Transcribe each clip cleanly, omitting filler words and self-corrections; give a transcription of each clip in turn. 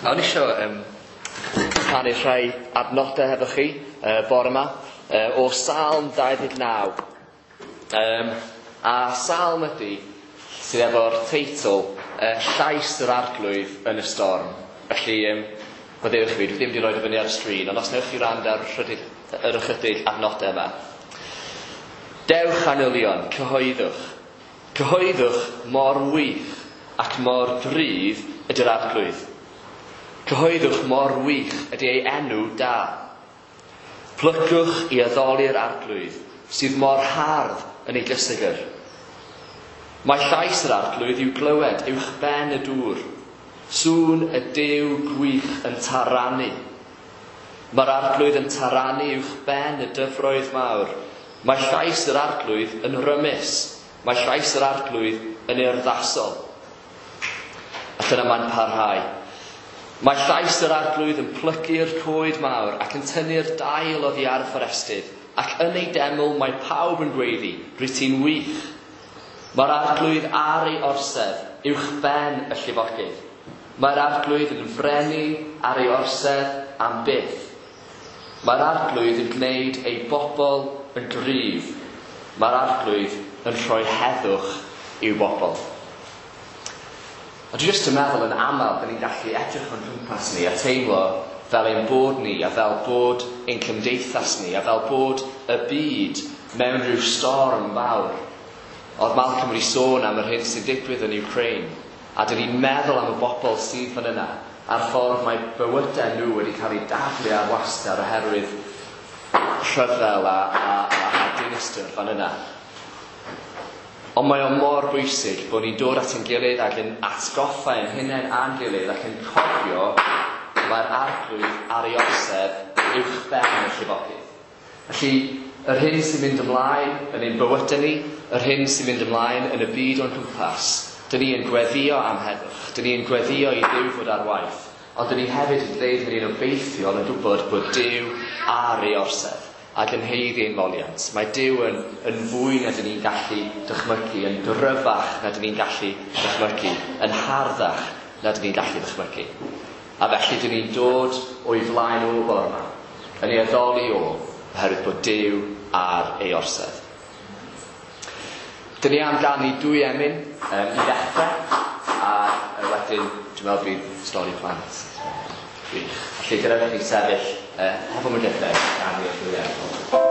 O'n i isio rhannu rhai adnodau hefo chi bore yma o Salm 29. A Salm ydy sydd efo'r teitl Llais yr Arglwydd yn y Storm. Felly, maddeuwch fi, dwi ddim wedi rhoi o fyny ar y sgrin, ond os newch chi wrando ar yr ychydig adnodau yma. Dewch angylion, cyhoeddwch. Cyhoeddwch mor wych ac mor gryf ydy'r Arglwydd. Cyhoeddwch mor wych ydy ei enw da. Plygwch i addoli'r Arglwydd, sydd mor hardd yn ei gysegr. Mae llais yr Arglwydd i'w glywed uwch ben y dŵr. Sŵn y Duw gwych yn taranu. Mae'r Arglwydd yn taranu uwch ben y dyfroedd mawr. Mae llais yr Arglwydd yn rymus. Mae llais yr Arglwydd yn urddasol. A dyna mae'n parhau. Mae llais yr Arglwydd yn plygu'r coed mawr ac yn tynnu'r dail oddi ar y fforestydd, ac yn ei deml mae pawb yn gweiddi, rwyt ti'n wych. Mae'r Arglwydd ar ei orsedd uwch ben y llifogydd. Mae'r Arglwydd yn frenin ar ei orsedd am byth. Mae'r Arglwydd yn gwneud ei bobl yn gryf. Mae'r Arglwydd yn rhoi heddwch i'w bobl. A dwi jyst yn meddwl yn aml, dyn ni'n gallu edrych o'n cwmpas ni a teimlo fel ein bod ni a fel bod ein cymdeithas ni a fel bod y byd mewn rhyw storm fawr. Oedd Malcolm wedi sôn am yr hyn sy'n digwydd yn Ukraine, a dyn ni'n meddwl am y bobl sydd fan yna a'r ffordd mae bywydau nhw wedi cael eu daflu ar wasgar oherwydd rhyfel a dinistr fan yna. Ond mae o mor bwysig bod ni'n dod at ein gilydd ac yn atgoffa ein hunain a'n gilydd ac yn cofio mae'r Arglwydd ar ei orsedd uwch ben y llifogydd. Felly, yr hyn sy'n mynd ymlaen yn ein bywydau ni, yr hyn sy'n mynd ymlaen yn y byd o'n cwmpas, dyn ni yn gweddïo am heddwch, dyn ni yn gweddïo i Dduw fod ar waith, ond dyn ni hefyd yn gwneud hynny'n obeithiol yn gwybod bod Duw ar ei orsedd ac yn haeddu ein moliant. Mae Duw yn fwy na dyn ni'n gallu dychmygu, yn gryfach na dyn ni'n gallu dychmygu, yn harddach na dyn ni'n gallu dychmygu. A felly dyn ni'n dod o'i flaen o bore yma, yn ei addoli o, oherwydd bod Duw ar ei orsedd. Dyn ni am ganu dwy emyn i ddechrau, a wedyn dwi'n meddwl bydd stori plant. Gwych. Felly gyda chi sefyll hefo mygythau, ganu'r dwy emyn. Oh.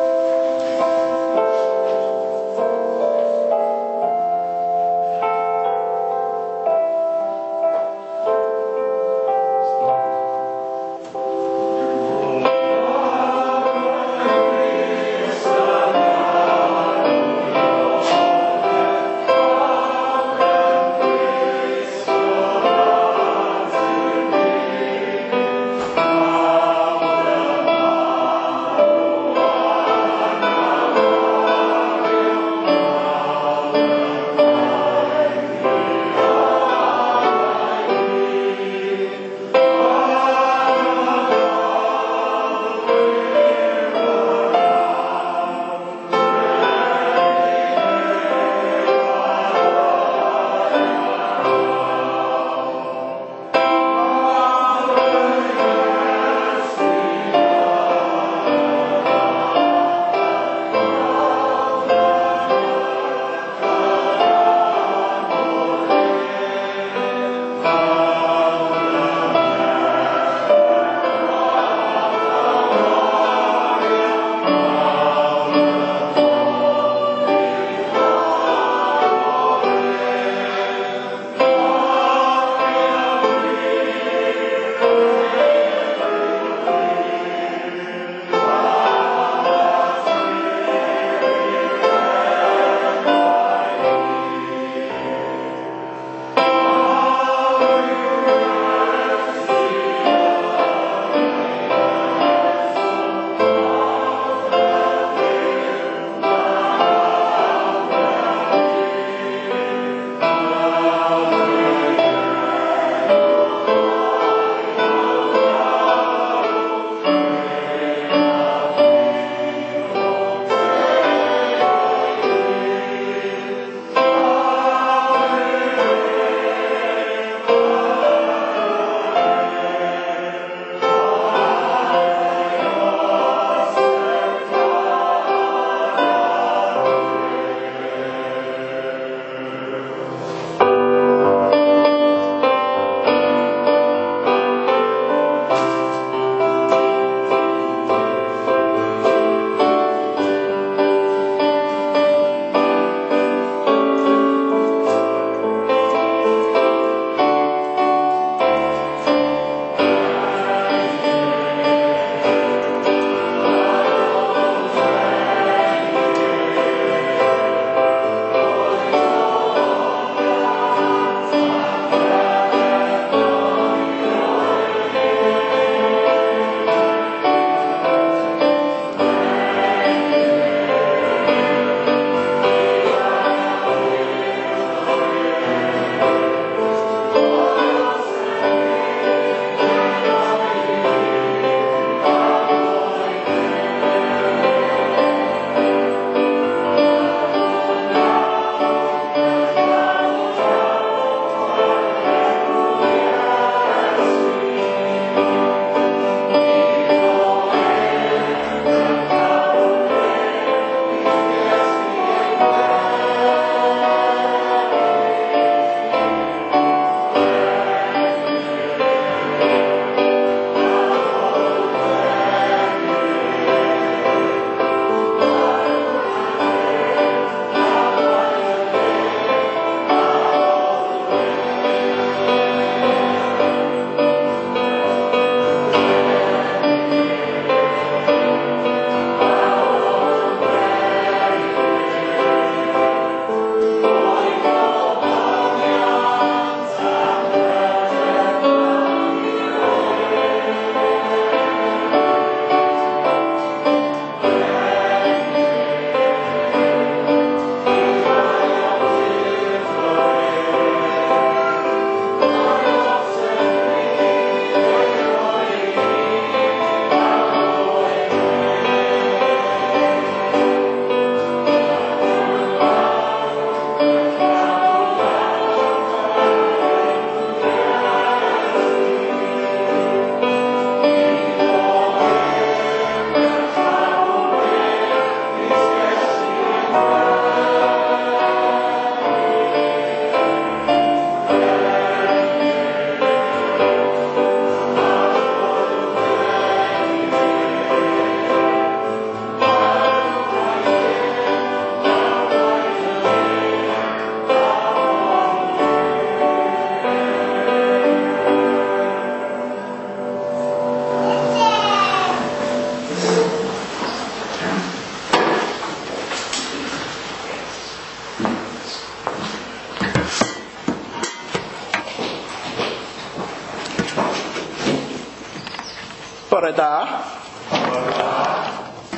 Bore da. Bore da.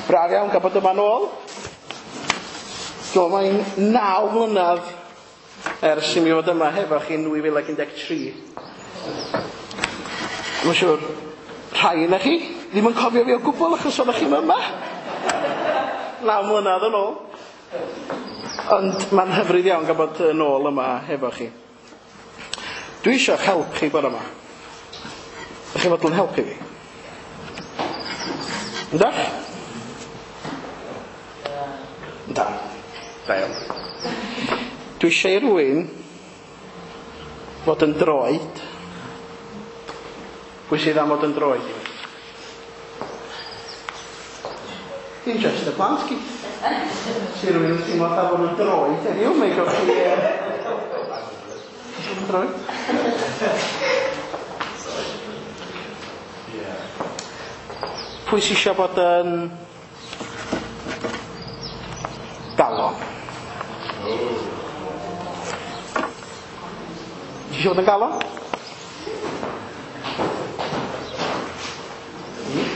Braf iawn gael bod yma nôl. Dwi'n mae'n 9 mlynedd ers i mi fod yma hefo chi yn 2013. Mae'n siŵr rhai yna chi ddim yn cofio fi o gwbl achos oeddech chi'm yma 9 mlynedd yn ôl. Ond mae'n hyfryd iawn gael bod yn ôl yma hefo chi. Dwi eisiau help chi bore yma. Ydych chi'n fodlon helpu fi? Yndach? Ynda. Da iawn. Dwi eisiau i rywun fod yn droed. Pwy sydd am fod yn droed i mi? Dim just y plant, gyd. Si rhywun yn teimlo fatha bod yn droed heddiw, mae gewch chi fod yn droed. Pwy sy eisiau bod yn galon? Ti eisiau bod yn galon?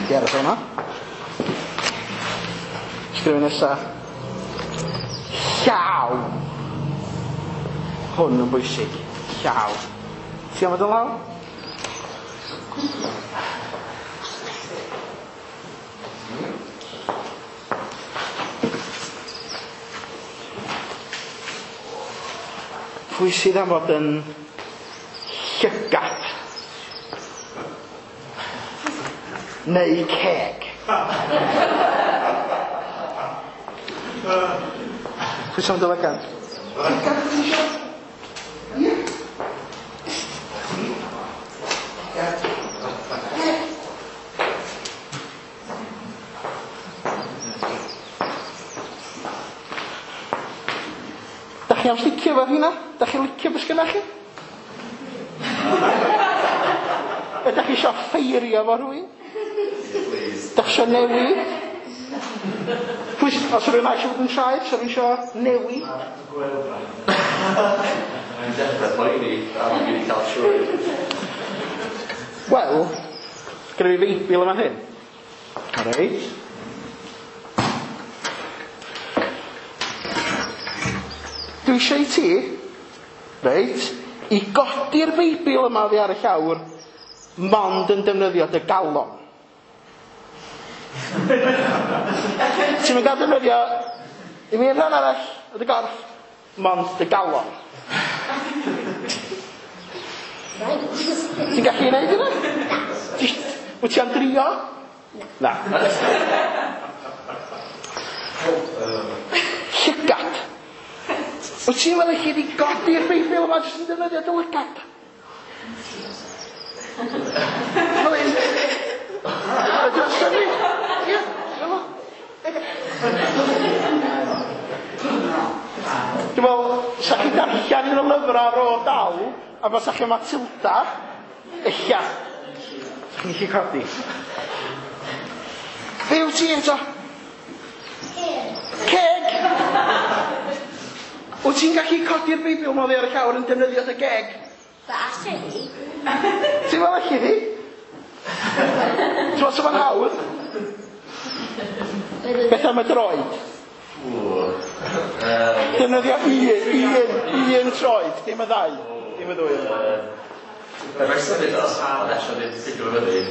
Di aros hwnna. Sgrifennu nesa. Llaw. Hwn yn bwysig. Llaw. Ti am fod yn law? Pwy sydd am fod yn llygad? Neu ceg? Pwy sydd am dy lygad? Llygad ti isio? Ie. Da chi am sticio efo rheina? Da chi'n licio beth sgynna chi? Ydych chi isio ffeirio efo rhywun? Da chi isio newid? Pwy os rhywun eisiau fod yn traed, os rhywun isio newid? Mae'n dechrau poeni am i fi cael trwy. Wel, gyda fi Feibl yma hyn. Reit. Dwi eisiau i ti, reit, i godi'r Beibl yma oddi ar y llawr, mond yn defnyddio dy galon. Ti'n mynd gael defnyddio i mi rhan arall o dy gorff, mond dy galon. Ti'n gallu gwneud hynna? Wyt ti am drio? Na. Llygad. Wyt ti'n meddwl chi wedi godi'r Beibl yma jyst yn defnyddio dy lygad? Fel un. Ydy o'n symud? Ie, fel o. Dwi'n meddwl, sa chi darllen un o lyfrau ar ôl dal, a fysa chi Matilda, ella, sa chi'n gallu codi. Be wyt ti eto? Ceg! Wyt ti'n gallu codi'r Beibl yma oddi ar y llawr yn defnyddio dy geg? Fe allu hi. Ti'n meddwl allu hi? Ti'n meddwl sa fo'n hawdd? Beth am y droed? Defnyddio un troed, dim y ddau. Dim y ddwy. Mae'n symud o, ond eto ddim ffigur fyny.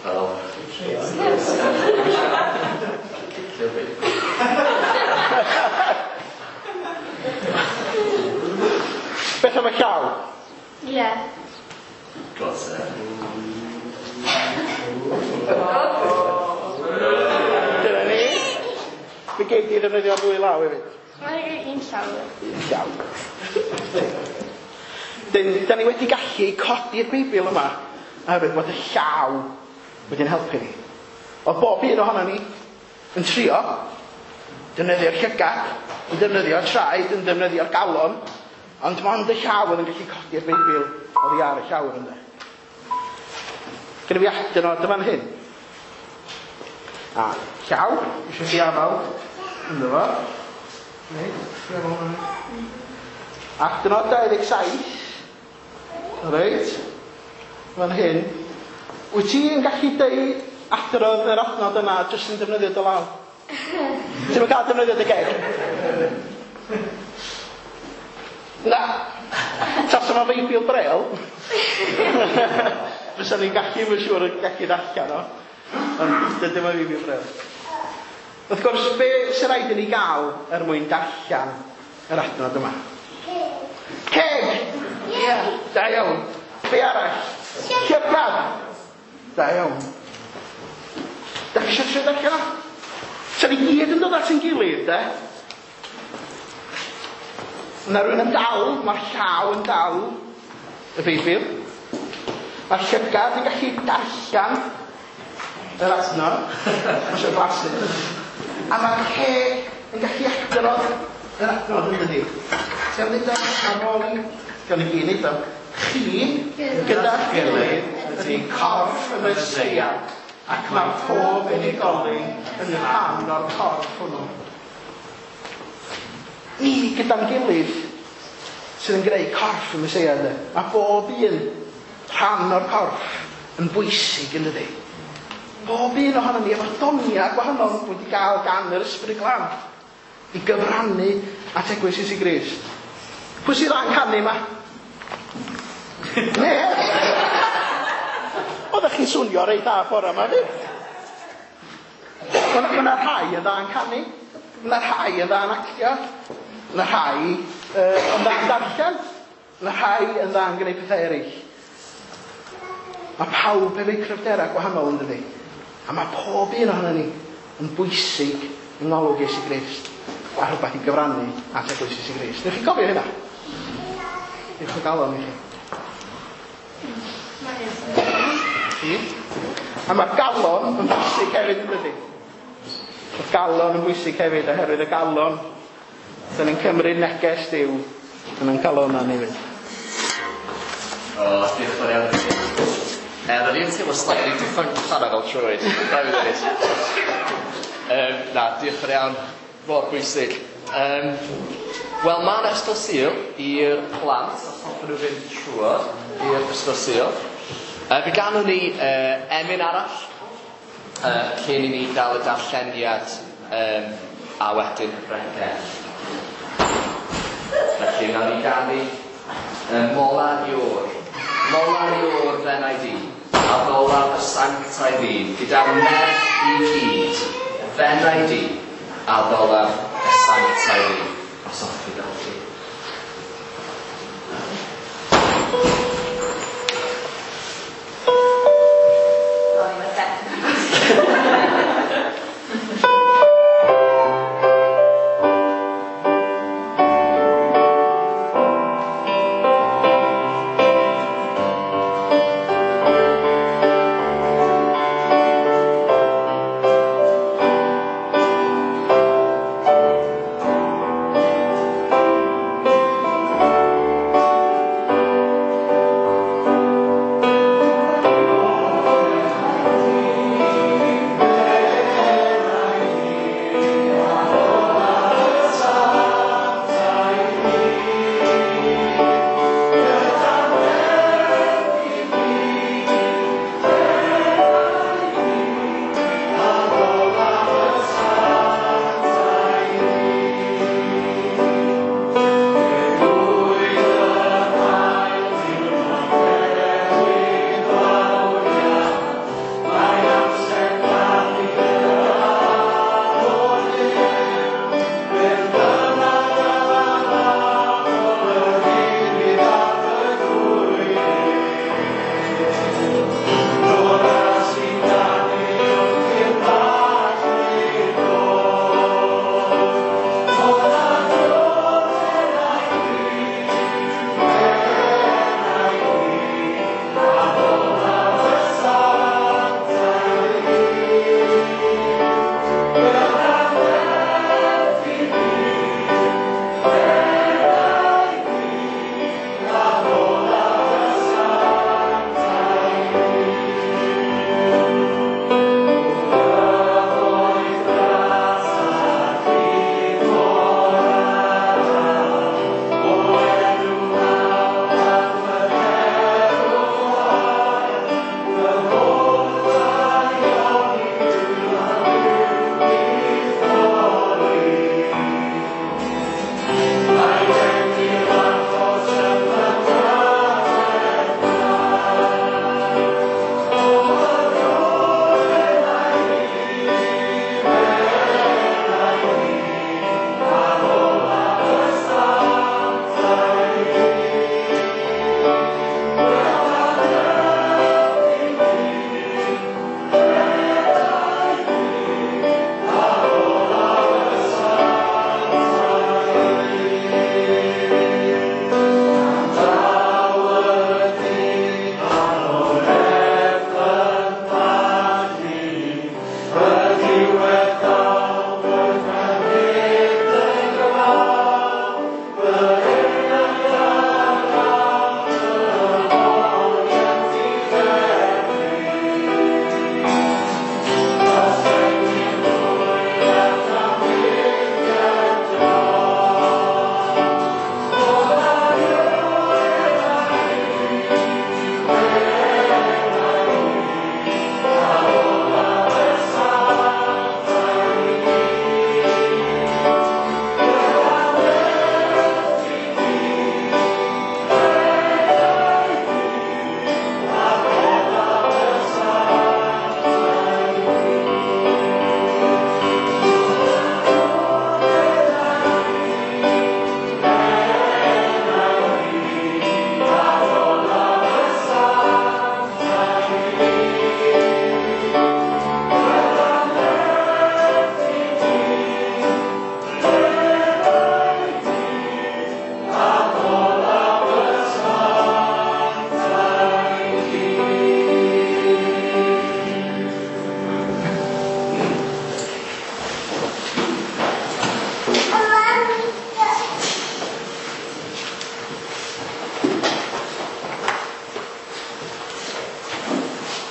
Fel. Beth am y llaw? Ie. Got it. Dyna ni. Fe gei di ddefnyddio'r ddwy law hefyd. Mae'n un llaw. Un llaw. Da ni wedi gallu codi'r Beibl yma oherwydd bod y llaw wedi'n helpu ni. Oedd bob un ohono ni yn trio defnyddio'r llygad, yn defnyddio'r traed, yn defnyddio'r galon, ond mond y llaw oedd yn gallu codi'r Beibl oddi ar y llawr ynde. Gyda fi adnod yn fan hyn. A llaw, eisiau chi afael ynddo fo. Reit, chi afael ynddo fo. Adnod 27. Reit, fan hyn. Wyt ti'n gallu deud adrodd yr adnod yna jyst yn defnyddio dy law? Ti'm yn cael defnyddio dy geg? Na. Tasa ma Feibl Braille, fysa ni'n gallu, mae'n siŵr, yn gallu ddarllen o. Ond dydy o'm Feibl Braille. Wrth gwrs, be sy'n rhaid i ni gael er mwyn darllen yr adnod yma? Ceg! Ie, yeah, da iawn. Be arall? Llygad! Da iawn. Da chi eisiau trio darllen o? Sa ni gyd yn dod at ein gilydd, de? Mae rhywun yn dal, mae'r llaw yn dal y Beibl. Mae'r llygad yn gallu darllen yr adnod. Mae eisiau blasu. A mae'r ceg yn gallu adrodd yr adnod yn dydi. Ti'n am ddeud o ar ôl i? Gawn ni gyd neud o. Chi, gyda'ch gilydd, ydy corff y Meseia, ac mae pob unigolyn yn rhan o'r corff hwnnw. Ni gyda'n gilydd sydd yn gwneud corff y Meseia, ynddo. Mae bob un rhan o'r corff yn bwysig, yn dydi. Bob un ohonom ni efo doniau gwahanol wedi gael gan yr Ysbryd Glân i gyfrannu at eglwys Iesu Grist. Pwy sydd dda'n canu yma? Ne! Oeddech chi'n swnio reit dda bore yma, fi? Mae yna rhai yn dda'n canu, mae yna rhai yn dda'n actio, mae yna rhai yn dda'n darllen, mae yna rhai yn dda'n gwneud pethau eraill. Mae pawb efo'u cryfderau gwahanol yn dydi? A mae pob un ohono ni yn bwysig yng ngolwg Iesu Grist a rhywbeth i gyfrannu at eglwys Iesu Grist. Newch chi gofio hynna? Diolch o galon i chi. Chi? A mae'r galon yn bwysig hefyd yn dydi? Mae'r galon yn bwysig hefyd oherwydd y galon dyn ni'n cymryd neges Duw yn ein calonnau ni hefyd. O, diolch yn fawr iawn i chi. Ro'n i'n teimlo slightly defunct fanna fel troed. Rhaid fi ddweud. Na, diolch yn fawr iawn. Mor bwysig. Wel, mae yna ysgol Sul i'r plant, os hoffen nhw fynd trwodd i'r ysgol Sul. Fe ganwn ni emyn arall, cyn i ni gael y darlleniad a wedyn y bregeth. Felly, wnawn ni ganu Mola Ior. Mola Ior fenai di, a ddola y sanctaidd ddyn, gyda'r nerth i gyd, fenai di, a ddola y sanctaidd ddyn. Os hoffech chi gael chi. Sorry, my second.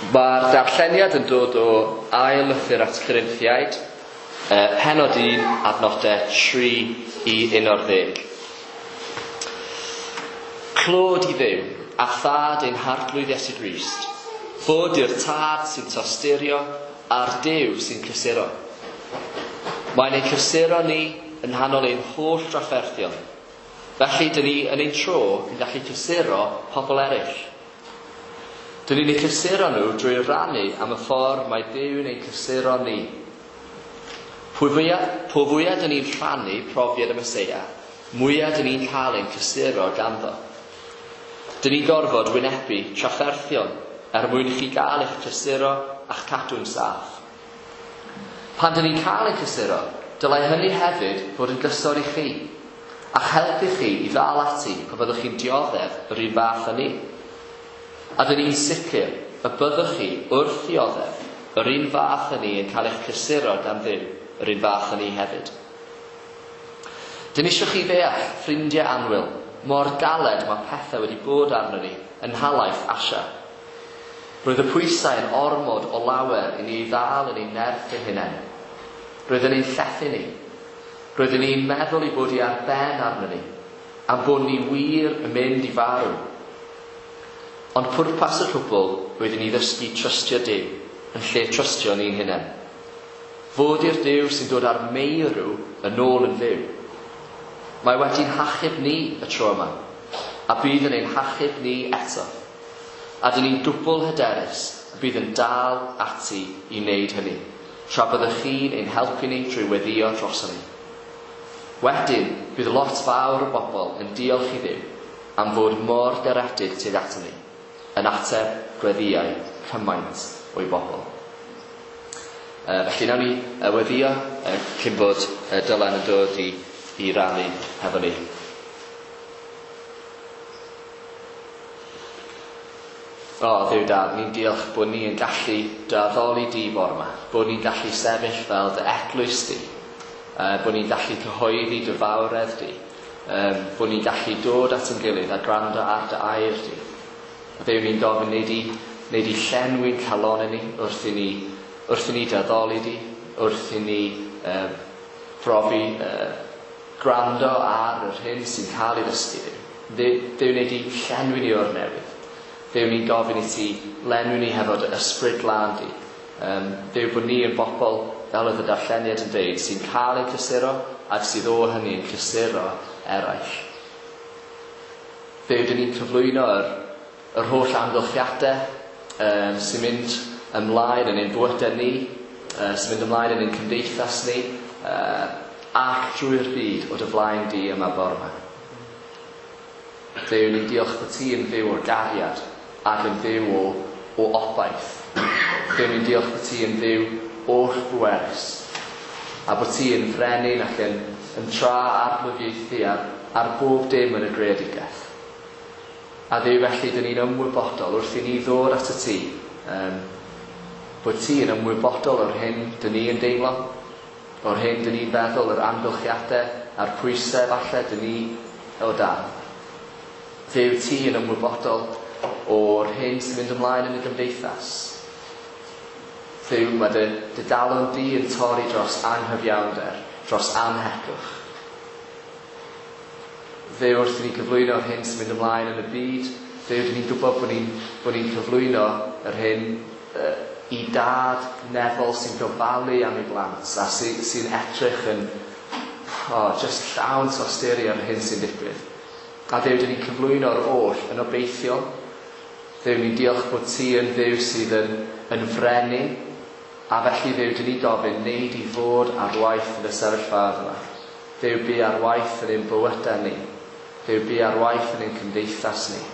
Mae'r darlleniad yn dod o ail lythyr at Corinthiaid, pennod 1, adnodau 3 i 11. Clod i Dduw, a thad ein harglwydd Iesu Grist, fod i'r tad sy'n tosturio a'r Duw sy'n cysuro. Mae'n ein cysuro ni yn nghanol ein holl drafferthion. Felly, dyn ni yn ein tro yn gallu cysuro pobl eraill. Dyn ni'n eu cysuro nhw drwy rannu am y ffordd mae Duw'n ein cysuro ni. Po fwyaf dyn ni'n rhannu profiad y Meseia, mwyaf dyn ni'n cael ein cysuro ganddo. Dyn ni'n gorfod wynebu trafferthion er mwyn i chi gael eich cysuro a'ch cadw'n saff. Pan dyn ni'n cael ein cysuro, dylai hynny hefyd fod yn gysor i chi, a'ch helpu chi i ddal ati pan fyddwch chi'n dioddef yr un fath â ni. A dyn ni'n sicr y byddwch chi wrth ddioddef yr un fath â ni yn cael eich cysuro gan Dduw yr un fath â ni hefyd. Dyn ni eisiau chi ddeall, ffrindiau annwyl, mor galed mae pethau wedi bod arno ni yn nhalaith Asia. Roedd y pwysau yn ormod o lawer i ni ei ddal yn ein nerth ein hunain. Roedd yn ein llethu ni. Roeddwn ni'n meddwl ei bod hi ar ben arno ni, am bod ni wir yn mynd i farw. Ond pwrpas y cwbl oedd i ni ddysgu trystio Duw, yn lle trystio ni'n hunain. Fod i'r Duw sy'n dod â'r meirw yn ôl yn fyw. Mae wedi'n hachub ni y tro yma, a bydd yn ein hachub ni eto. A dyn ni'n dwbl hyderus y bydd yn dal ati i wneud hynny, tra byddwch chi'n ein helpu ni trwy weddïo droson ni. Wedyn, bydd lot fawr o bobl yn diolch i Dduw am fod mor garedig tuag aton ni, yn ateb gweddïau cymaint o'i bobl. Felly nawn ni weddïo cyn bod Dylan yn dod i rannu hefo ni. O, Dduw Dad, ni'n diolch bod ni yn gallu dy addoli di bore yma, bod ni'n gallu sefyll fel dy eglwys di, bod ni'n gallu cyhoeddi dy fawredd di, bod ni'n gallu dod at ein gilydd a gwrando ar dy air di. A Dduw, ni'n gofyn nei di llenwi'n calonnau ni wrth i ni dy addoli di, wrth i ni profi gwrando ar yr hyn sy'n cael ei ddysgu di. Dduw, nei di llenwi ni o'r newydd. Dduw, ni'n gofyn i ti lenwi ni hefo dy ysbryd glân di. Dduw, bod ni yn bobl, fel oedd y darlleniad yn dweud, sy'n cael ein cysuro ac sydd o hynny yn cysuro eraill. Dduw, dyn ni'n cyflwyno yr holl amgylchiadau sy'n mynd ymlaen yn ein bywydau ni, sy'n mynd ymlaen yn ein cymdeithas ni, ac drwy'r byd o dy flaen di yma bore yma. Dduw, ni'n diolch bod ti yn Dduw o gariad ac yn Dduw o obaith. Dduw, ni'n diolch bod ti yn Dduw oll bwerus a bod ti yn frenin ac yn tra arglwyddiaethu ar bob dim yn y greadigaeth. A Dduw, felly, dyn ni'n ymwybodol wrth i ni ddod at y ti, bod ti yn ymwybodol o'r hyn dyn ni yn deimlo, o'r hyn dyn ni'n feddwl, yr amgylchiadau a'r pwysau falle dyn ni o dan. Dduw, ti yn ymwybodol o'r hyn sy'n mynd ymlaen yn y gymdeithas. Dduw, mae dy galon di yn torri dros anghyfiawnder, dros anhegwch. Dduw, wrth i ni cyflwyno yr hyn sy'n mynd ymlaen yn y byd, Dduw, dyn ni'n gwybod bod ni'n cyflwyno yr hyn i dad nefol sy'n gofalu am ei blant a sy'n edrych yn just llawn tosturi ar yr hyn sy'n digwydd. A Dduw, dyn ni'n cyflwyno'r oll yn obeithiol. Dduw, ni'n diolch bod ti yn Dduw sydd yn frenin, a felly Dduw, dyn ni'n gofyn, nei di fod ar waith yn y sefyllfaoedd yma. Dduw, bu ar waith yn ein bywydau ni. Dduw, bu ar waith yn ein cymdeithas ni.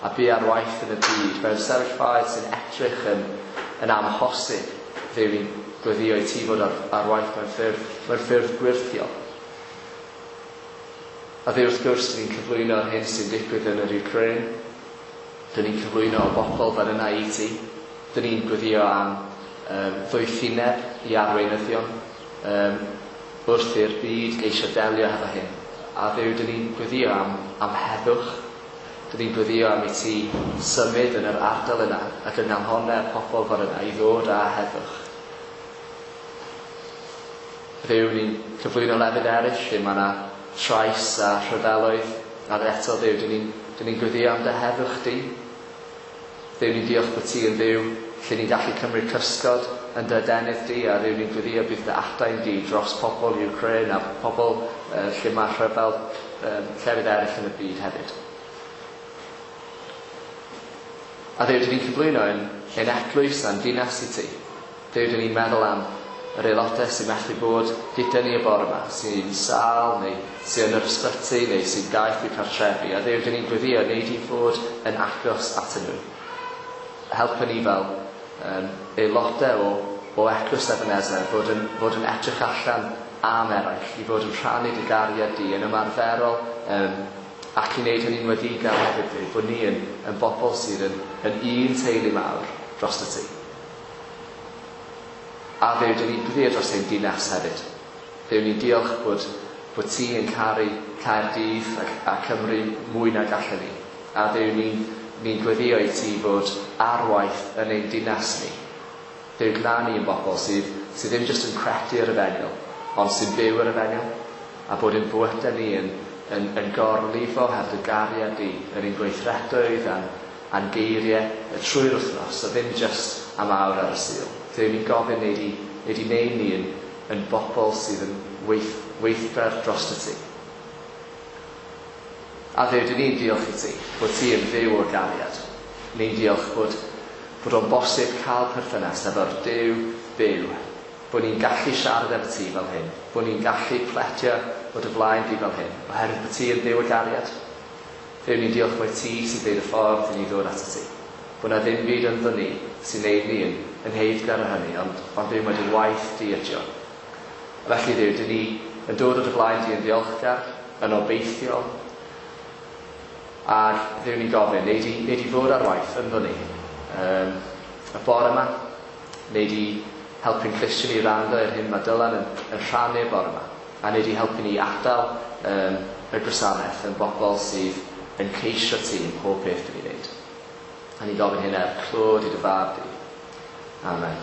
A bu ar waith yn y byd, mewn sefyllfaoedd sy'n edrych yn amhosib. Dduw, ni'n gweddio i ti fod ar waith mewn ffyrdd gwyrthiol. A Dduw, wrth gwrs, dyn ni'n cyflwyno'r hyn sy'n digwydd yn yr Ukraine. Dyn ni'n cyflwyno o bobl fel yna i ti. Dyn ni'n gweddio am ddoethineb i arweinyddion wrth i'r byd geisio delio hefo hyn. A Dduw, dyn ni'n gweddio am heddwch. Dyn ni'n gweddio am i ti symud yn yr ardal yna ac yng nghalonau'r pobl fan yna i ddod â heddwch. Dduw, ni'n cyflwyno lefydd eraill lle mae yna trais a rhyfeloedd, a eto Dduw, dyn ni'n dyn ni'n gweddio am dy heddwch di. Dduw, ni'n diolch bod ti yn Dduw lle ni'n gallu cymryd cysgod yn dy adenydd di, a Dduw, ni'n gweddio bydd dy adain di dros pobl Ukraine a pobl lle mae rhyfel llefydd eraill yn y byd hefyd. A Dduw, dyn ni'n cyflwyno ein eglwys a'n dinas i ti. Dduw, dyn ni'n meddwl am yr aelodau sy'n methu bod gyda ni y bore yma, sy'n sâl neu sy'n yn yr ysbyty neu sy'n gaeth i'w cartrefi. A Dduw, dyn ni'n gweddio wneud i fod yn agos atyn nhw. Helpa ni fel aelodau o Eglwys Ebenezer fod yn edrych allan am eraill, i fod yn rhannu dy gariad di yn ymarferol ac i wneud hynny'n wedigar hefyd, Dduw, bod ni yn bobl sydd yn un teulu mawr dros y ti. A Dduw, dyn ni'n gweddio dros ein dinas hefyd. Dduw, ni'n diolch bod ti yn caru Caerdydd a Cymru mwy na gallen ni. A Dduw, ni'n gweddio i ti fod ar waith yn ein dinas ni. Dduw, gwna ni yn bobl sydd ddim jyst yn credu yr efengyl, ond sy'n byw yr efengyl, a bod ein bywydau ni yn gorlifo heb dy gariad di, yn ein gweithredoedd a'n geiriau trwy'r wythnos, a ddim jyst am awr ar y Sul. Dduw, ni'n gofyn wneud i wneud ni yn bobl sydd yn weithgar dros y ti. A Dduw, dyn ni'n diolch i ti bod ti yn Dduw o gariad. Ni'n diolch bod o'n bosib cael perthynas efo'r Duw byw, bod ni'n gallu siarad efo ti fel hyn, bod ni'n gallu pletio o dy flaen di fel hyn, oherwydd bod ti yn Dduw o gariad. Dduw, ni'n diolch mai ti sy'n deud y ffordd i ni ddod at y ti. Bod na ddim byd ynddo ni sy'n neud ni yn heiddgar o hynny, ond Dduw, mae dy waith di ydi o. Felly Dduw, dyn ni yn dod o dy flaen di yn ddiolchgar, yn obeithiol, a Dduw, ni'n gofyn, neud i fod ar waith ynddo ni. Y bore yma, neud i helpu'n Cristion i wrando i'r hyn mae Dylan yn rhannu y bore yma, a neud i helpu ni adael y gwasanaeth yn bobl sydd yn ceisio ti yn pob peth dyn ni'n neud. A ni'n gofyn hyn er clod i dy fab di. Amen.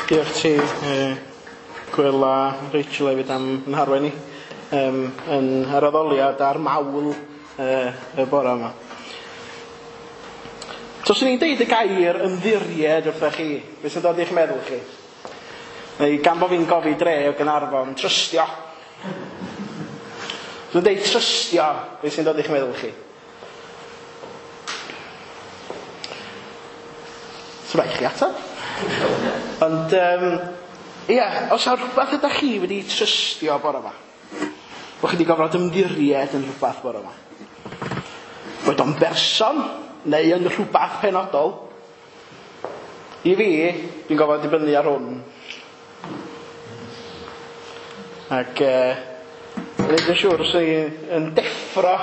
Diolch ti, Gwil a Rachel hefyd am yn harwain ni yn yr addoliad a'r mawl y bore yma. So, swn i'n deud y gair ymddiried wrthoch chi, beth sy'n dod i'ch meddwl chi? Neu gan bo fi'n gofi dre o Gaernarfon, trystio. Dwi'n deud trystio, beth sy'n dod i'ch meddwl chi? So rhaid chi ateb. Ond, ia, os yw rhywbeth ydych chi wedi trystio bore yma, bod chi wedi gofod ymddiried yn rhywbeth bore yma, bod o'n berson neu yn rhywbeth penodol, i fi, dwi'n gofod dibynnu ar hwn. Ac, wneud yn siŵr os i'n deffro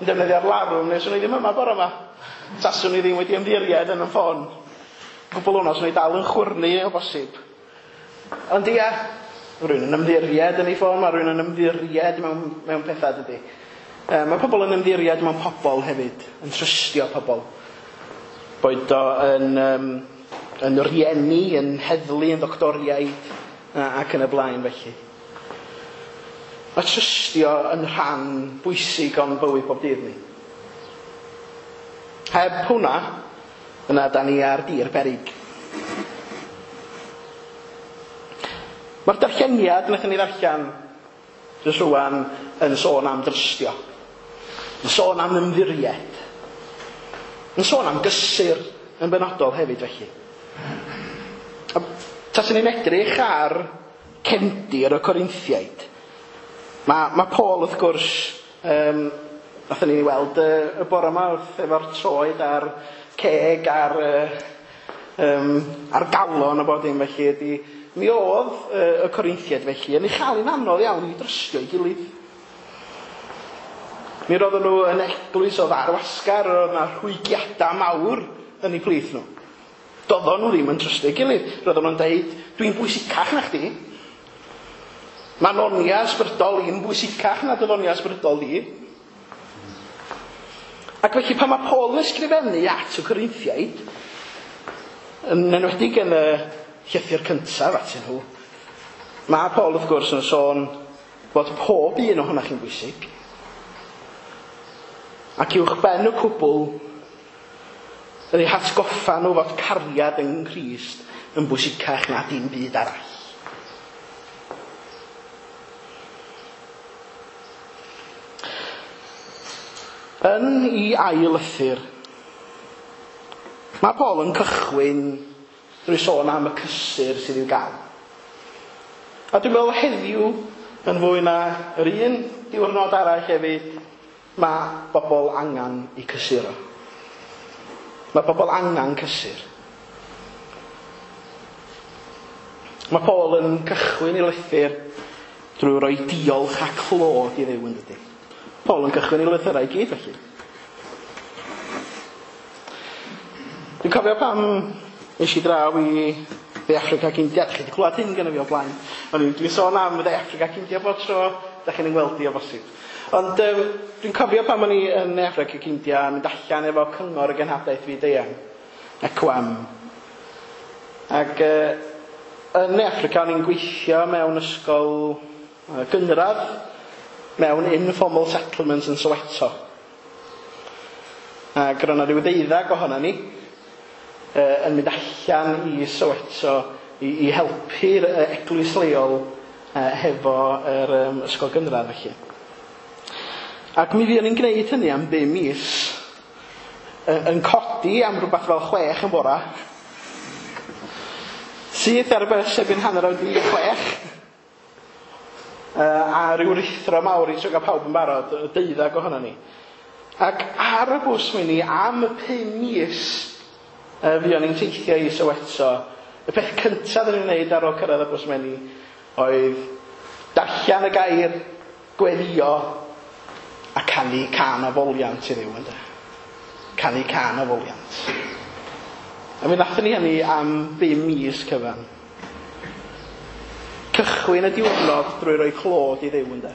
yn defnyddio'r larwm, neu swn i ddim yma bore yma. Taswn i ddim wedi ymddiried yn y ffôn. Cwbl hwnna, swn i dal yn chwyrnu o bosib. Ond ia, rhywun yn ymddiried yn ei ffôn, mae rhywun yn ymddiried mewn pethau, dydy. Mae pobl yn ymddiried mewn pobl hefyd, yn trystio pobl. Boed o yn rieni, yn heddlu, yn ddoctoriaid, ac yn y blaen felly. Mae trystio yn rhan bwysig o'n bywyd bob dydd ni. Heb hwnna, yna da ni ar dir beryg. Mae'r darlleniad wnaethon ni ddarllen jyst rŵan yn sôn am drystio, yn sôn am ymddiried, yn sôn am gysur yn benodol hefyd felly. Taswn ni'n edrych ar cefndir y Corinthiaid. Mae Paul wrth gwrs, nathon ni weld y bore yma wrth efo'r troed a'r ceg a'r galon a bod dim felly ydy, mi oedd y Corinthiaid felly yn ei chael hi'n anodd iawn i drystio ei gilydd. Mi roedden nhw yn eglwys oedd ar wasgar, roedd yna rhwygiadau mawr yn eu plith nhw. Doedden nhw ddim yn trystio gilydd. Roedden nhw'n deud, dwi'n bwysicach na chdi. Mae nonia ysbrydol i'n bwysicach na dy ddonia ysbrydol di. Ac felly pan mae Paul yn ysgrifennu at y Corinthiaid, yn enwedig yn y llythyr cyntaf atyn nhw, mae Paul wrth gwrs yn sôn fod pob un ohonoch chi'n bwysig. Ac uwch ben y cwbl, yn eu hatgoffa nhw fod cariad yng Nghrist yn bwysicach na dim byd arall. Yn ei ail lythyr, mae Paul yn cychwyn drwy sôn am y cysur sydd i'w gael. A dwi'n meddwl heddiw, yn fwy na yr un diwrnod arall hefyd, mae bobl angen eu cysuro. Mae bobl angen cysur. Mae Paul yn cychwyn ei lythyr drwy roi diolch a clod i Dduw, yn dydy. Paul yn cychwyn ei lythyrau i gyd, felly. Dwi'n cofio pam nes i draw i Dde Affrica ac India. Dach chi wedi clywed hyn gynna fi o blaen. O'n i'n dwi'n sôn am Dde Affrica ac India bob tro, dach chi'n ngweld i o bosib. Ond dwi'n cofio pan o'n i yn Ne Affrica ac India yn mynd allan efo cyngor y genhadaeth fyd-eang, ECWAM. Ac yn Ne Affrica o'n i'n gweithio mewn ysgol gynradd mewn informal settlements yn Soweto. Ac roedd yna rhyw 12 ohono ni yn mynd allan i Soweto i helpu'r eglwys leol hefo yr ysgol gynradd felly. Ac mi fuon ni'n gwneud hynny am 5 mis, yn codi am rhywbeth fel 6 yn bora, syth ar y bws erbyn 5:30, a ryw ruthro mawr i trio gael pawb yn barod, 12 ohono ni. Ac ar y bws mi ni am y 5 mis fuon ni'n teithio i Soweto, y peth cyntaf oedden ni'n wneud ar ôl cyrraedd y bws meni oedd darllen y gair, gweddio a canu cân o foliant i Dduw, ynde. Canu cân o foliant. A mi wnaethon ni hynny am 5 mis cyfan. Cychwyn y diwrnod drwy roi clod i Dduw, ynde.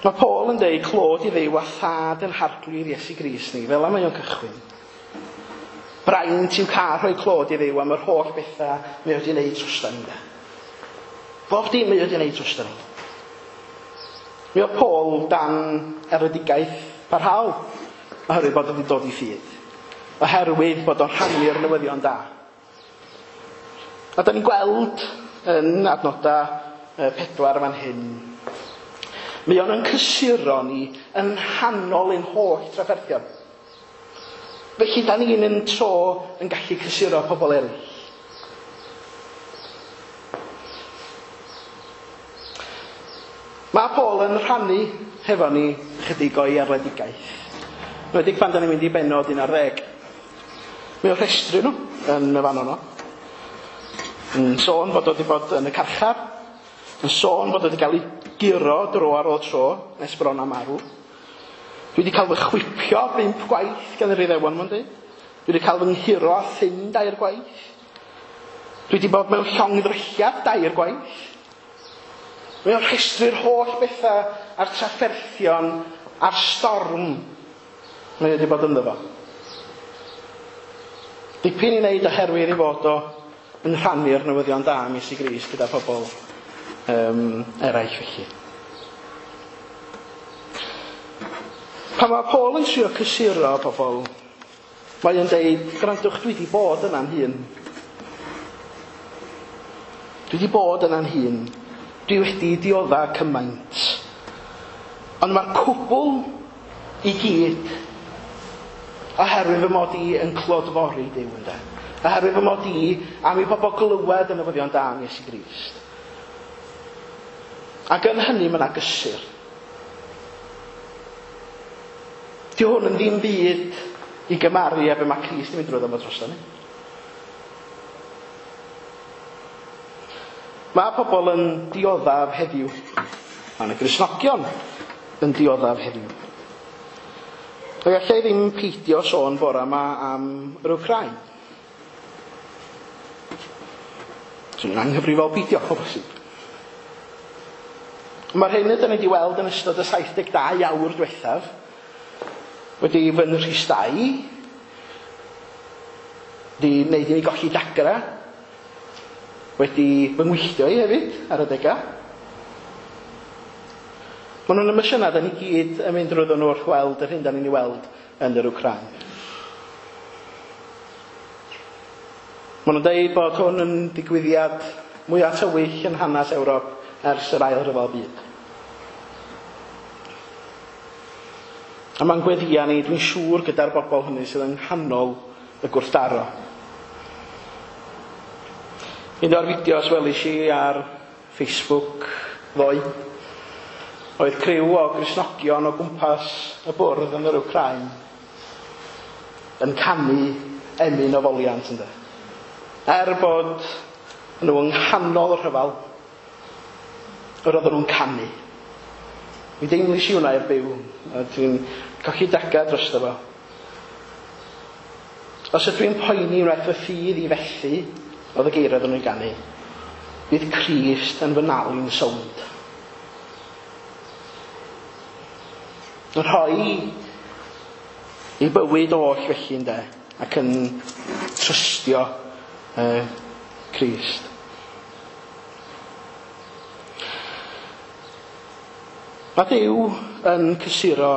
Mae Paul yn deud clod i Dduw a thad yn Harglwydd Iesu Grist ni, fel am mae o'n cychwyn. Braint i'w cael rhoi clod i Dduw am yr holl bethau mae wedi wneud drosta ni, ynde. Bob dim mae wedi wneud drosta ni. Mi oedd Paul dan erledigaeth parhaol, oherwydd bod wedi dod i ffydd, oherwydd bod o'n rhannu'r newyddion da. A da ni'n gweld yn adnodau 4 fan hyn, mae o'n yn cysuro ni yn nghanol ein holl trafferthion. Felly da ni'n yn tro yn gallu cysuro pobl eraill. Mae Paul yn rhannu hefo ni chydig o'i erledigaeth. Enwedig pan da ni'n mynd i bennod 11. Mae o'n rhestru nhw yn y fan yno. Yn sôn bod o wedi bod yn y carchar, yn sôn bod o wedi cael ei guro dro ar ôl tro, nes bron a marw. Dwi wedi cael fy chwipio 5 gwaith gan yr Iddewon, mae'n dweud. Dwi wedi cael fy nghuro â ffyn 2 gwaith. Dwi wedi bod mewn llongddrylliad 2 gwaith. Mae o'n rhestru'r holl bethau a'r trafferthion a'r storm mae wedi bod ynddo fo. Dipyn i wneud oherwydd ei fod o yn rhannu'r newyddion da am Iesu Grist gyda pobl eraill felly. Pan mae Paul yn trio cysuro pobl, mae o'n deud, gwrandwch, dwi wedi bod yna'n hun. Dwi wedi bod yna'n hun. Dwi wedi diodda cymaint. Ond mae'r cwbl i gyd oherwydd fy mod i yn clodfori Duw, ynde. Oherwydd fy mod i am i bobl glywed y newyddion da am Iesu Grist. Ac yn hynny mae yna gysur. Di hwn yn ddim byd i gymaru â be mae Crist yn mynd drwyddo fo drosto ni. Mae pobl yn dioddef heddiw. Mae yna Gristnogion yn dioddef heddiw. Ac allai ddim peidio sôn bore yma am yr Wcráin. Swn i'n anghyfrifol peidio, o bosib. Mae'r hyn ydyn ni wedi weld yn ystod y 72 awr diwethaf wedi fy nhristau, wedi wneud i mi golli dagra, wedi fy ngwylltio i hefyd ar adegau. Maen nhw'n emosiynau, da ni gyd yn mynd drwyddo nhw wrth weld yr hyn da ni'n ei weld yn yr Wcráin. Maen nhw'n dweud bod hwn yn digwyddiad mwyaf tywyll yn hanes Ewrop ers yr Ail Ryfel Byd. A mae'n gweddia ni, dwi'n siŵr, gyda'r bobl hynny sydd yng nghanol y gwrthdaro. Un o'r fideos welis i ar Facebook ddoe oedd criw o Gristnogion o gwmpas y bwrdd yn yr Wcráin yn canu emyn o foliant, ynde. Er bod nhw yng nghanol y rhyfel, yr oedden nhw'n canu. Mi deimlis i hwnna i'r byw, a dwi'n colli daga drosto fo. Os ydw i'n poeni wnaeth fy ffydd i fethu, oedd y geiriau oedden nhw'n ganu, bydd Crist yn fy nal i'n sownd. Yn rhoi ei bywyd oll felly, ynde, ac yn trystio Crist. Mae Duw yn cysuro,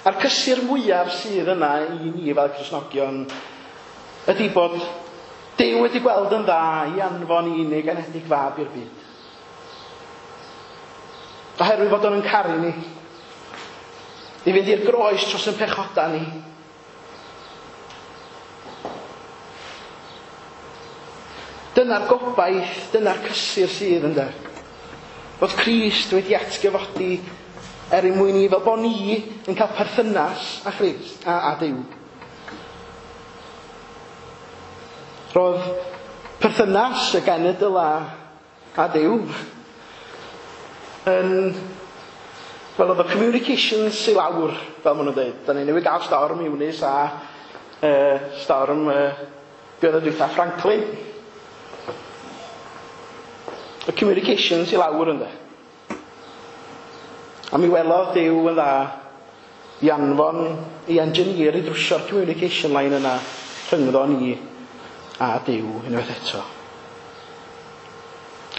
a'r cysur mwyaf sydd yna i ni fel Cristnogion ydy bod Duw wedi gweld yn dda i anfon ei unig anedig fab i'r byd. Oherwydd fod o'n caru ni, i fynd i'r groes dros ein pechodau ni. Dyna'r gobaith, dyna'r cysur sydd, ynde. Bod Crist wedi atgyfodi er mwyn ni, fel bod ni yn cael perthynas â Christ a Duw. Roedd perthynas y genedl a Duw yn, wel, oedd y communications i lawr, fel maen nhw'n dweud. Da ni newydd gael storm Eunice a storm be oedd y dwytha, Franklin. Y communications i lawr, ynde. A mi welodd Duw yn dda i anfon i engineer i drwsio'r communication line yna rhyngddo ni a Duw unwaith eto.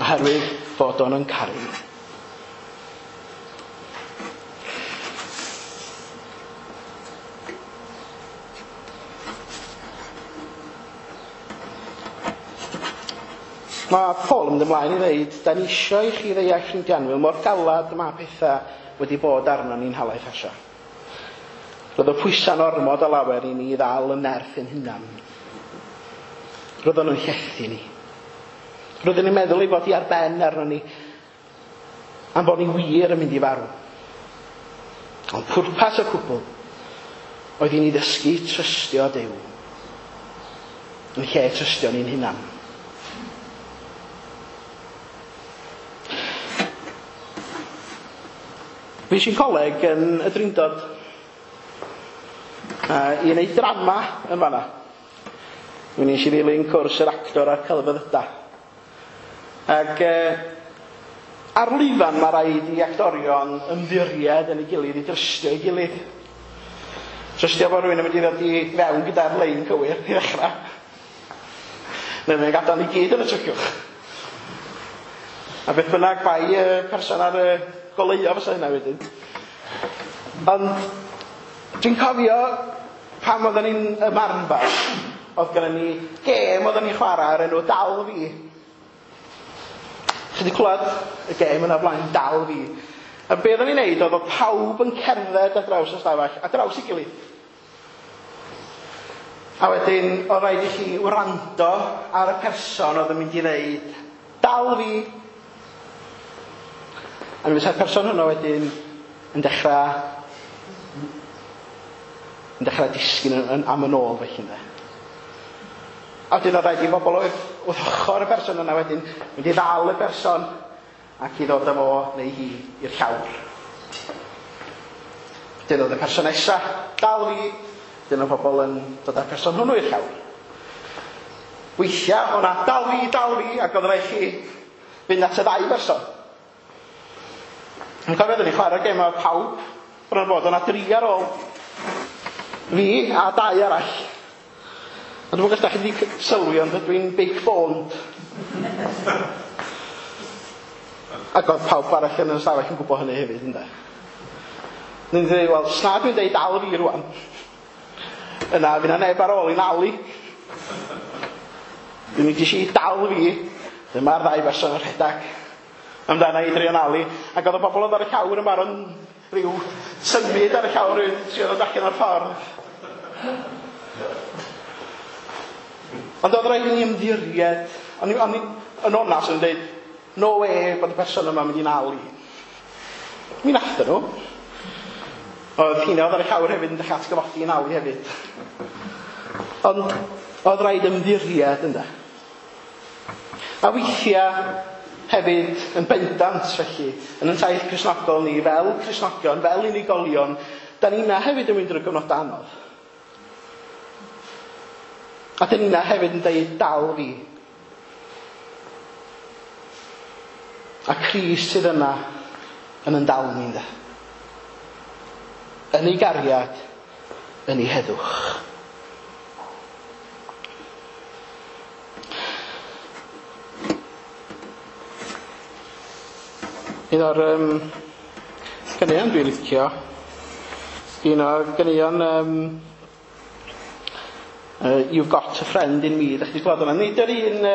Oherwydd fod o'n yn caru. Mae Paul yn mynd ymlaen i ddeud, da ni eisiau i chi ddeall, ffrindiau annwyl, mor galad mae pethau wedi bod arno ni'n halaith Asia. Roedd y pwysau'n ormod o lawer i ni ddal yn nerth ein hunan. Roedd nhw'n llethu ni. Roedden ni'n meddwl ei fod i ar ben arno ni, am bod ni wir yn mynd i farw. Ond pwrpas y cwbl oedd i ni ddysgu trystio Duw yn lle trystio ni'n hunan. Fues i'n coleg yn y Drindod i wneud drama yn fanna. Mi wnes i ddilyn cwrs yr actor a'r celfyddyda. Ac ar lwyfan mae rhaid i actorion ymddiried yn ei gilydd, i drystio ei gilydd. Trystio bod rhywun yn mynd i ddod i fewn gyda'r lein cywir i ddechrau. Neu mae'n gadael ni gyd yn y tryciwch. A beth bynnag bai y person ar y goleuo fysa hynna wedyn. Ond dwi'n cofio pam oedden ni'n ymarfer, oedd gennym ni gêm oedden ni'n chwarae ar enw Dal Fi. Chi wedi clywed y gêm yna blaen, Dal Fi. A be oedden ni'n neud oedd oedd pawb yn cerdded ar draws y stafell, ar draws ei gilydd. A wedyn oedd rhaid i chi wrando ar y person oedd yn mynd i ddeud, Dal Fi. A mi fysa'r person hwnnw wedyn yn dechrau disgyn am yn ôl felly, ynde. A wedyn oedd rhaid i bobl oedd wrth ochr y person yna wedyn mynd i ddal y person. ac i ddod â fo neu hi i'r llawr. Wedyn oedd y person nesa, dal fi, wedyn oedd pobl yn dod â'r person hwnnw i'r llawr. Weithiau, o'na dal fi, dal fi, ac oedd rhaid chi fynd at y ddau berson. Yn cofio, oedden ni'n chwarae gêm efo pawb, bron bod, o'na dri ar ôl fi a dau arall. Ond dwi'n gwybod os da chi wedi sylwi, ond dwi'n big boned. Ac oedd pawb arall yn y stafell yn gwybod hynny hefyd, ynde. Ni'n dweud, wel, sna dwi'n deud dal fi rwan. Yna, fydd na neb ar ôl i nalu. Dwi'n mynd i dal fi. Dyma'r ddau berson yn rhedeg amdana i drio nalu. Ac oedd y bobl oedd ar y llawr yn barod rhyw symud ar y llawr rhywun trio ddod allan o'r ffordd. Ond oedd rhaid i ni ymddiried. O'n i yn onast yn dweud, no way bod y person yma'n mynd i nalu. Mi nathon nhw. Oedd hynna oedd ar y llawr hefyd yn dechrau atgyfodi i nalu hefyd. Ond oedd rhaid ymddiried ynde. A weithiau hefyd yn bendant felly, yn yn taith Cristnogol ni, fel Cristnogion, fel unigolion, da ni'na hefyd yn mynd drwy gyfnod anodd. A da ni'na hefyd yn deud dal fi. A Crist sydd yna yn yn dal ni, ynde. Yn ei gariad, yn ei heddwch. Un o'r ganeuon dwi'n licio, un o'r ganeuon You've Got a Friend in Me, ydych chi wedi gweld hwnna? Nid yr un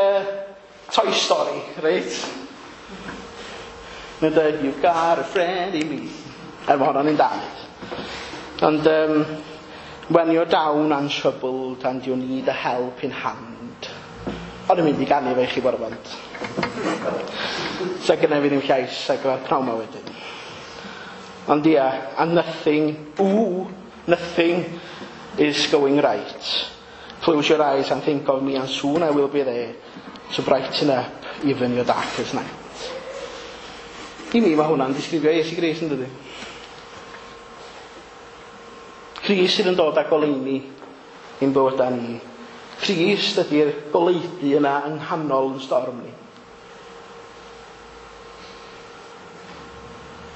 Toy Story, reit? Mae'n dweud, You've got a friend in me. Er mae hwnna'n un da. Ond, when you're down and troubled and you need a helping hand. O'n i'n mynd i ganu fe i chi bore bont. So gynna fi ddim llais ar gyfer pnawn ma wedyn. Ond ia, and nothing, ooh, nothing is going right. Close your eyes and think of me and soon I will be there to brighten up even your darkest night. I mi mae hwnna'n disgrifio Iesu Grist, yn dydi? Crist sydd yn dod â goleuni i'n bywydau ni. Crist ydy'r goleudy yna yng nghanol yn storm ni.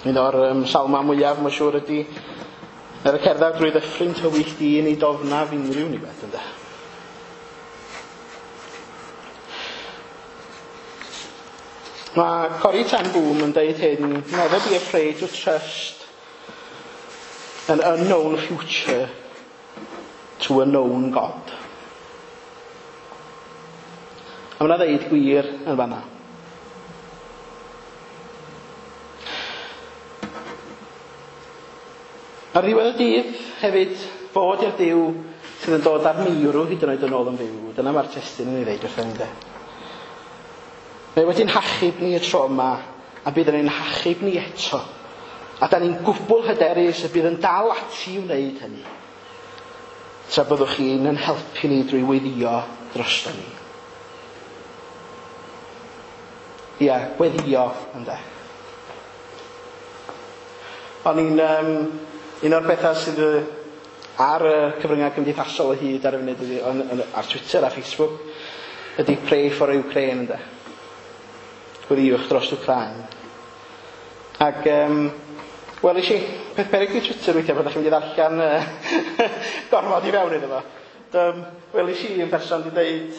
Un o'r salma mwyaf, mae'n siŵr, ydy er y cerdded drwy ddyffryn tywyll dyn i dofnaf unrhyw niwed, ynde. Mae Corrie ten Boom yn deud hyn, never be afraid to trust an unknown future to a known God. A mae'n ddeud gwir yn fanna. Ar ddiwedd y dydd hefyd, fod i'r Duw sydd yn dod â'r meirw hyd yn oed yn ôl yn fyw. Dyna mae'r testun yn ei ddeud wrthyn ni, de. Mae wedi'n hachub ni y tro yma, a bydd yn ein hachub ni eto. A da ni'n gwbl hyderus y bydd yn dal ati i wneud hynny. Tra byddwch chi'n yn helpu ni drwy weddïo drosto ni. Ia, gweddïo, ynde. O'n i'n un o'r bethau sydd ar y cyfryngau cymdeithasol o hyd ar y funud ydy, ar Twitter a Facebook, ydy Pray for Ukraine, ynde. Gweddïwch dros Wcráin. Ac, wel, i peth peryg i Twitter weithiau, bod chi'n mynd i ddarllen gormod i fewn iddo fo. Wel, i un person wedi dweud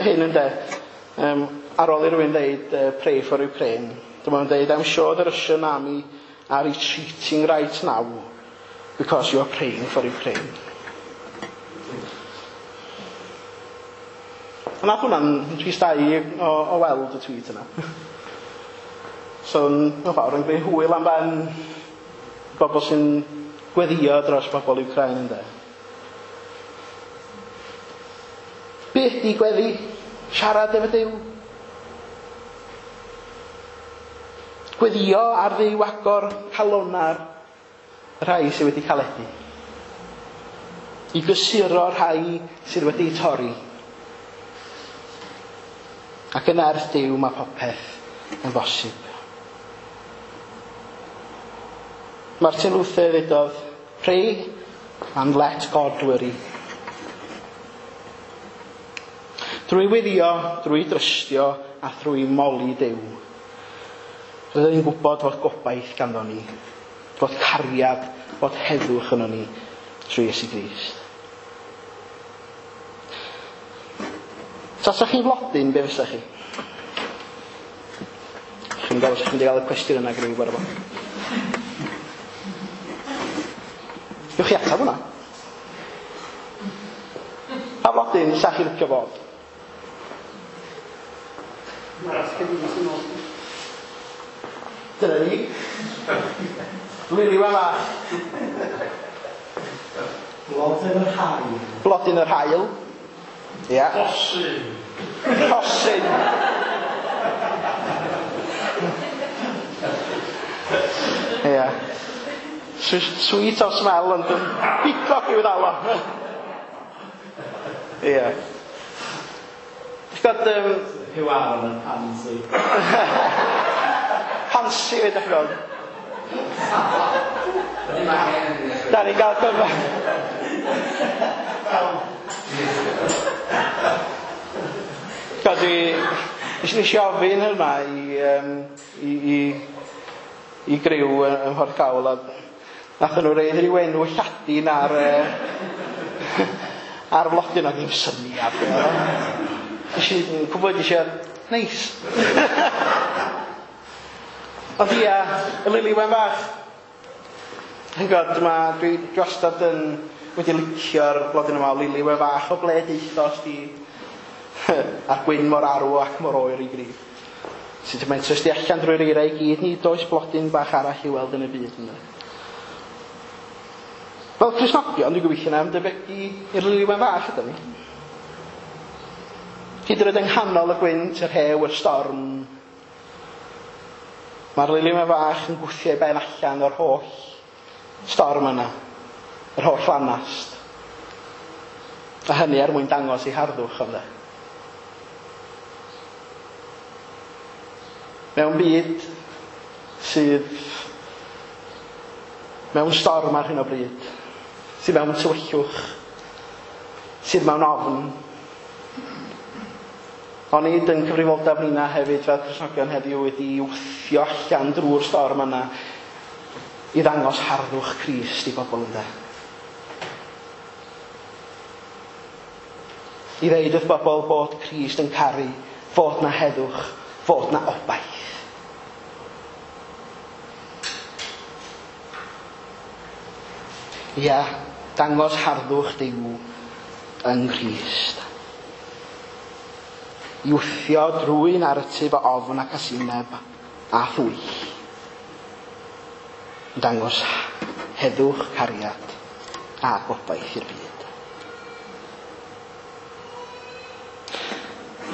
hyn, ynde. Ar ôl i rywun dweud Pray for Ukraine, dyma nhw'n dweud, I'm sure the Russian army are retreating right now because you are praying for Ukraine. A nath hwnna'n tristau o weld y tweet yna. So, mewn ffordd, yn gwneud hwyl am ben bobl sy'n gweddio dros bobl Ukraine, ynde. Be ydi gweddi? Siarad efo Duw. Gweddio ar Dduw agor calona'r rhai sydd wedi caledu. I gysuro rhai sydd wedi torri. Ac yn nerth Duw mae popeth yn bosib. Martin Luther ddudodd, "Pray and let God worry." Drwy weddio, drwy drystio a thrwy moli Duw, rydyn ni'n gwybod fod gobaith ganddo ni, fod cariad, fod heddwch yno ni trwy Iesu Grist. Tasach chi'n flodyn, be fysa chi? Chi'n gael, os chi'n gael y cwestiwn yna gyda fi bore fo. Gewch chi atab hwnna? Pa flodyn sa chi'n licio fod? Dyna ni. Lili wen fach. Blodyn yr haul. Blodyn yr haul. Ia. Rhosyn. Rhosyn. Ia. Sweet o smell ond yn pigog i'w ddal o. Ia. Ti'n gwybod... Huw Aaron yn pansy. Pansy fe, dych chi'n gwybod. Da ni'n gael cyfa. Gwybod, dwi... Nes i ofyn hynna i griw ym Mhorthcawl a nathon nhw reid ryw enw Lladin ar flodyn o ddim syniad. Nes i gwybod eisiau neis. Ond ia, y lili wen fach. Yn gwybod, dwi wastad yn wedi licio'r blodyn yma o lili wen fach o ble deithos di a'r gwyn mor arw ac mor oer i grif. Sut mae'n trystu allan drwy'r eira i gyd, nid oes blodyn bach arall i weld yn y byd yna. Fel Cristnogion, dwi'n gobeithio na ymdebygu i'r lili wen fach ydyn ni. Hyd yn oed yng nghanol y gwynt, yr hew, y storm, mae'r lili wen fach yn gwthio ei ben allan o'r holl storm yna, yr holl lanast. A hynny er mwyn dangos ei harddwch ond. Mewn byd sydd mewn storm ar hyn o bryd, sydd mewn tywyllwch, sydd mewn ofn, onid yn cyfrifoldeb nina hefyd fel Cristnogion heddiw wedi wthio allan drwy'r storm yna i ddangos harddwch Crist i bobl ynde. I ddeud wrth bobl bod Crist yn caru, fod na heddwch, fod na obaith. Ia, dangos harddwch Duw yng Nghrist. I wthio drwy naratif o ofn ac asineb a thwyll. Dangos heddwch, cariad a gobaith i'r byd.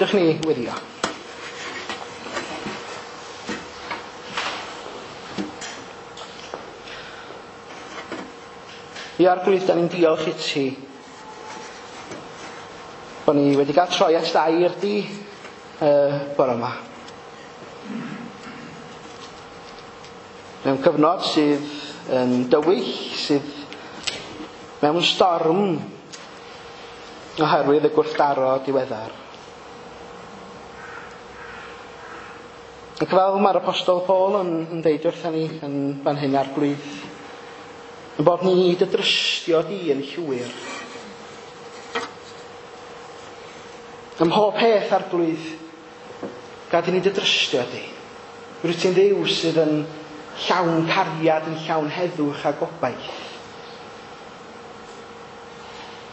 Dewch ni weddio. Ia, Arglwydd, da ni'n diolch i ti bod ni wedi cael troi at dair di bore yma. Mewn cyfnod sydd yn dywyll, sydd mewn storm oherwydd y gwrthdaro diweddar. Ac fel mae'r Apostol Paul yn deud wrthon ni yn fan hyn, Arglwydd, yn bod ni dy drystio di yn llwyr. Ym mhob peth, Arglwydd, gad i ni dy drystio di. Rwyt ti'n Dduw sydd yn llawn cariad, yn llawn heddwch a gobaith.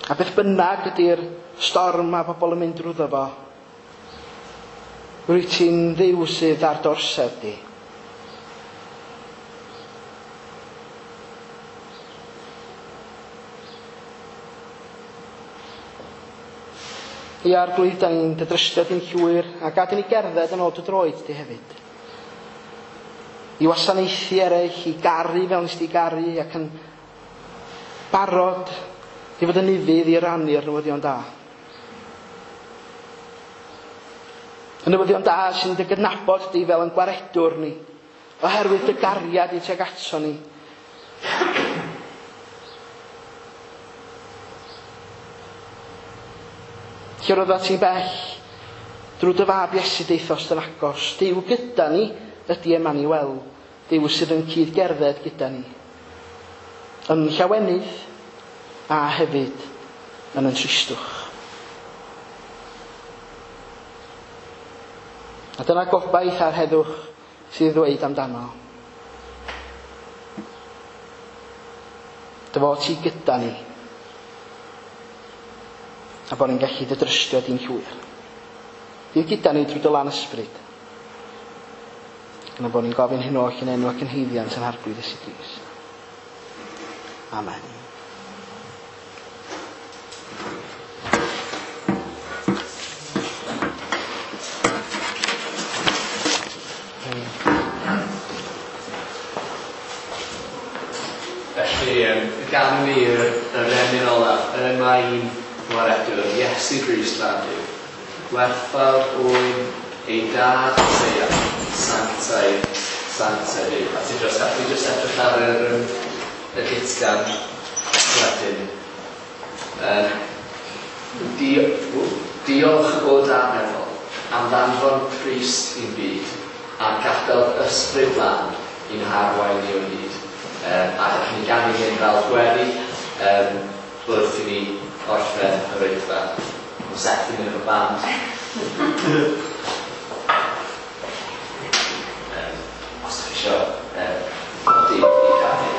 A beth bynnag ydy'r storm a bobl yn mynd drwyddo fo, rwyt ti'n Dduw sydd ar dorsedd di. Ia, Arglwydd, da ni'n dy drystio di'n llwyr, a gad i ni gerdded yn ôl dy droed di hefyd. I wasanaethu eraill, i garu fel nes di garu, ac yn barod i fod yn ufudd i rannu'r newyddion da. Y newyddion da sy'n dy gydnabod di fel yn gwaredwr ni, oherwydd dy gariad i tuag ato ni. Lle roeddat ti'n bell, drwy dy fab Iesu deithos yn agos, Duw gyda ni ydy Emmanuel, Duw sydd yn cyd-gerdded gyda ni. Yn llawenydd a hefyd yn tristwch. A dyna gobaith a'r heddwch sydd ddweud amdano. Dy fod ti gyda ni, a bod ni'n gallu dy drystio di'n llwyr. Bydd gyda ni drwy dy lan ysbryd. Yna bod ni'n gofyn hyn oll yn enw ac yn haeddiant yn Arglwydd Iesu Grist. Amen. Felly, ganwn ni yr emyn olaf, y mae'n gwaredwr, Iesu Grist fab Duw. Gwerthfawr oen ei dad Eseia, sanctaidd, sanctaidd yw. A ti'n just, allu just edrych ar y gytgan wedyn. Diolch o danefol am ddanfon Crist i'n byd a gadael ysbryd glân i'n harwain ni o hyd. A gallwn ni ganu hyn fel gweddi wrth i ni orffen yr oedfa. Mae Seth yn mynd efo band. Os ydych chi isio codi i ganu.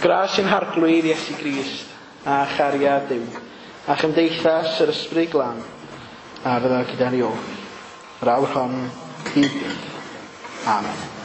Gras i'n Harglwydd Iesu Grist a chariad Duw a chymdeithas yr Ysbryd Glân a fydda gyda ni oll. Yr awr hon hyd byth. Amen.